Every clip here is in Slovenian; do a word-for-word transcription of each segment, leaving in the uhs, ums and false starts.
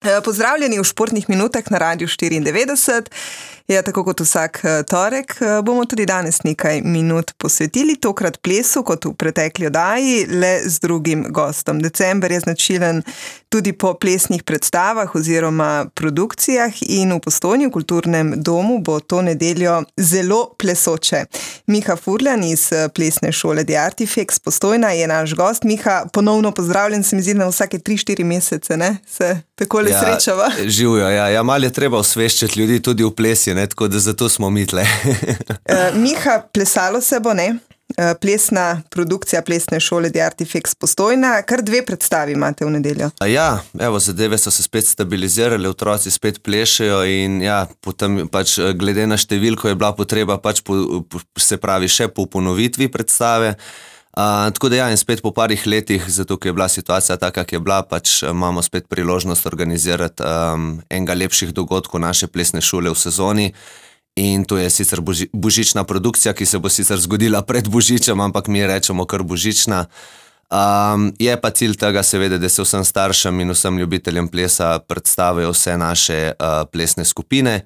Pozdravljeni v Športnih minutah na Radiu štiriindevetdeset. Ja, tako kot vsak torek bomo tudi danes nekaj minut posvetili, tokrat plesu kot v pretekli oddaji, le z drugim gostom. December je značilen tudi po plesnih predstavah oziroma produkcijah in v Postojni v kulturnem domu bo to nedeljo zelo plesoče. Miha Furlan iz plesne šole The Artifex Postojna je naš gost. Miha, ponovno pozdravljen, se mi zdi na vsake tri štiri mesece, ne? Se takole ja, srečava. Živijo, ja. Ja, malo je treba osveščati ljudi tudi v plesi, ne? Tako da zato smo mi tle. uh, Miha, plesalo se bo, ne? Uh, plesna produkcija plesne šole The Artifex Postojna, kar dve predstavi imate v nedeljo. Ja, evo, zadeve so se spet stabilizirale, otroci spet plešejo in ja, potem pač glede na številko je bila potreba pač po, po, se pravi še po ponovitvi predstave. Uh, tako da ja, in spet po parih letih, zato ker je bila situacija taka, kak je bila, pač imamo spet priložnost organizirati um, enega lepših dogodkov naše plesne šole v sezoni. In to je sicer boži, božična produkcija, ki se bo sicer zgodila pred božičem, ampak mi rečemo kar božična. Um, je pa cilj tega seveda, da se vsem staršem in vsem ljubiteljem plesa predstavijo vse naše uh, plesne skupine.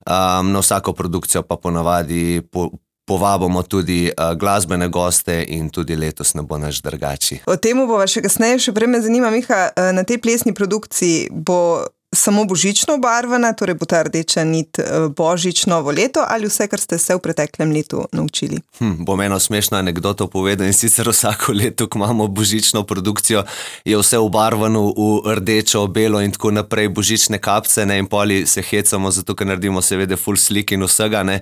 Um, na vsako produkcijo pa ponavadi po, povabimo tudi uh, glasbene goste in tudi letos ne bo naš drugači. O temu bova še kasneje, še prej me zanima, Miha, na tej plesni produkciji bo samo božično obarvana, torej bo ta rdeča nit božič, novo leto ali vse, kar ste se v preteklem letu naučili? Hm, bom eno smešno anekdoto povedal in sicer vsako leto, ko imamo božično produkcijo, je vse obarvano v rdečo, belo in tako naprej, božične kapce, ne, in poli se hecamo, zato ker naredimo seveda full slik in vsega, ne,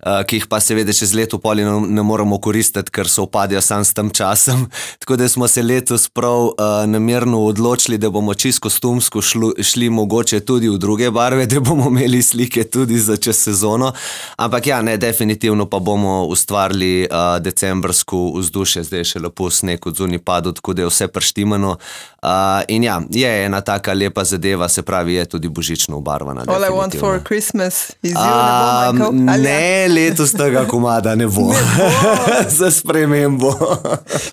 uh, ki jih pa seveda čez leto poli ne, ne moramo koristiti, ker so upadijo sam s tem časom. Tako da smo se letos prav uh, namerno odločili, da bomo čisto kostumsko šlu, šli mogoče tudi v druge barve, da bomo imeli slike tudi za čez sezono. Ampak ja, ne, definitivno pa bomo ustvarili uh, decembrsko vzdušje, zdaj je še lepo sneg od zunaj padel, tako da je vse prštimano. Uh, in ja, je ena taka lepa zadeva, se pravi, je tudi božično obarvana. All I want for Christmas is you, uh, ne bo, Michael? Ne, letos tega komada ne bo. Ne bo. Za spremembo.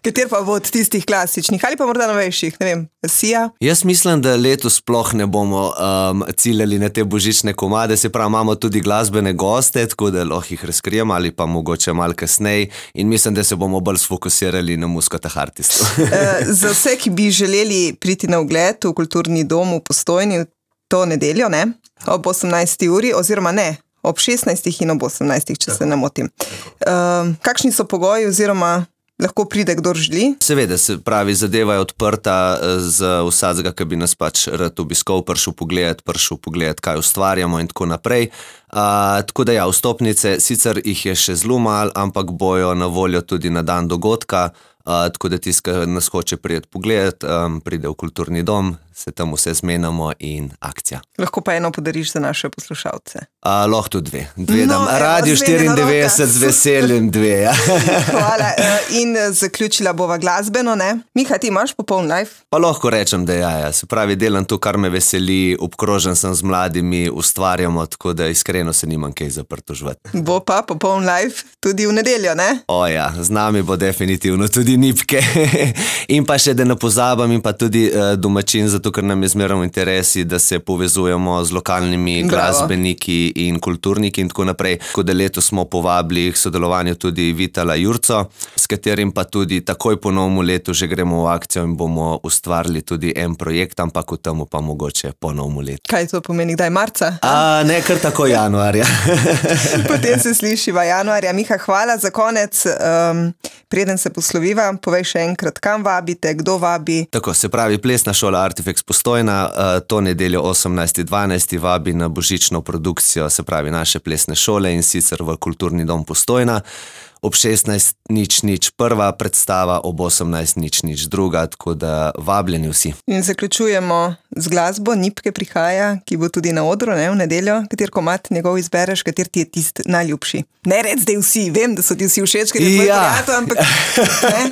Kater pa bo od tistih klasičnih ali pa morda novejših, ne vem, Sia? Jaz mislim, da letos sploh ne bomo um, ciljali na te božične komade, se pravi, imamo tudi glasbene goste, tako da lahko jih razkrijemo ali pa mogoče malo kasneje in mislim, da se bomo bolj sfokusirali na Muscotah Artistu. uh, za vse, ki bi želeli priti na ogled v kulturni dom v Postojni to nedeljo, ne? Ob osemnajsti uri, oziroma ne, ob šestnajstih in ob osemnajstih, če se ne motim. Uh, kakšni so pogoji oziroma lahko pride, kdor želi? Seveda, se pravi, zadeva je odprta za vsakega, ki bi nas pač rad obiskal, prišel pogledat, prišel pogledat, kaj ustvarjamo in tako naprej. Uh, tako da ja, vstopnice, sicer jih je še zelo malo, ampak bojo na voljo tudi na dan dogodka, uh, tako da tisti, ki nas hoče prijeti pogledat, um, pride v kulturni dom, se tam vse zmenamo in akcija. Lahko pa eno podariš za naše poslušalce. Uh, lahko tudi dve. Dve no, dam. Radio štiriindevetdeset z veseljem dve. Ja. Hvala. In zaključila bova glasbeno, ne? Miha, ti imaš popoln live? Pa lahko rečem, da ja, ja. Se pravi, delam to, kar me veseli, obkrožen sem z mladimi, ustvarjamo, tako da iskreno se nimam kaj za pritoževati. Bo pa popoln live tudi v nedeljo, ne? O ja, z nami bo definitivno tudi Nipke. In pa še, da ne pozabam, in pa tudi uh, domačin, zato ker nam je zmeraj v interesi, da se povezujemo z lokalnimi Bravo. glasbeniki in kulturniki in tako naprej. Tako da letos smo povabili k sodelovanju tudi Vitala Jurco, s katerim pa tudi takoj po novemu letu že gremo v akcijo in bomo ustvarili tudi en projekt, ampak v temu pa mogoče po novemu letu. Kaj to pomeni, kdaj marca? A, ne, kar tako januarja. Potem se slišiva januarja. Miha, hvala za konec. Um, preden se posloviva, povej še enkrat, kam vabite, kdo vabi? Tako, se pravi, plesna šola Artifex Postojna, uh, to nedeljo osemnajsti dvanajsti vabi na božično produkcijo, se pravi naše plesne šole in sicer v kulturni dom Postojna. Ob šestnajst nič nič prva predstava, ob osemnajst nič nič druga, tako da vabljeni vsi. In zaključujemo z glasbo, Nipke prihaja, ki bo tudi na odru, ne, v nedeljo. Kater komad njegov izbereš, kater ti je tist najljubši? Ne red zdaj vsi, vem, da so ti vsi všeč, ker je tvoj ja. prijatelj, ampak... Ne?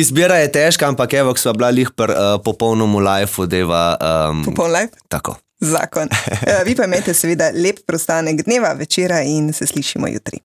Izbira je težka, ampak evo, ko sva bila lih pri uh, popolnomu live-u, deva... Um, Popoln live? Tako. Zakon. Vi pa imejte seveda lep preostanek dneva, večera in se slišimo jutri.